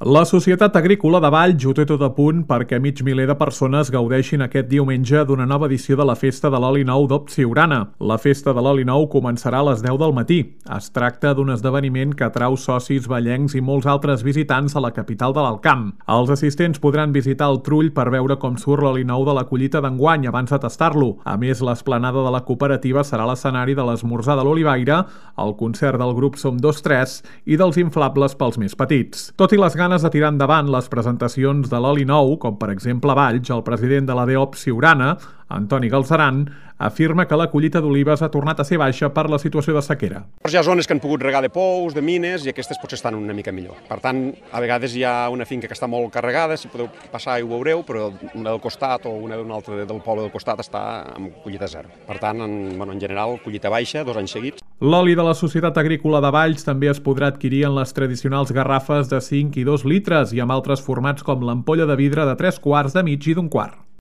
La Societat Agrícola de Valls ho té tot a punt perquè mig miler de persones gaudeixin aquest diumenge d'una nova edició de la Festa de l'Oli Nou d'Opsiurana. La Festa de l'Oli Nou començarà a les 10 del matí. Es tracta d'un esdeveniment que atrau socis vallencs i molts altres visitants a la capital de l'Alt Camp. Els assistents podran visitar el trull per veure com surt l'oli nou de la collita d'enguany abans de tastar-lo. A més, l'esplanada de la cooperativa serà l'escenari de l'esmorzar de l'Olivaire, el concert del grup Som 2-3 i dels inflables pels més petits. Tot i les ganes de tirar endavant les presentacions de l'oli nou, com per exemple a Valls, el president de la Opsiurana, Antoni Galceran, afirma que la collita d'olives ha tornat a ser baixa per la situació de sequera. Hi ha zones que han pogut regar de pous, de mines, i aquestes potser estan una mica millor. Per tant, a vegades hi ha una finca que està molt carregada, si podeu passar i ho veureu, però una del costat o una d'un altre del poble del costat està amb collita zero. Per tant, en general, collita baixa, 2 anys seguits. L'oli de la Societat Agrícola de Valls també es podrà adquirir en les tradicionals garrafes de 5 i 2 litres i amb altres formats com l'ampolla de vidre de 3 quarts, de mig i d'1 quart.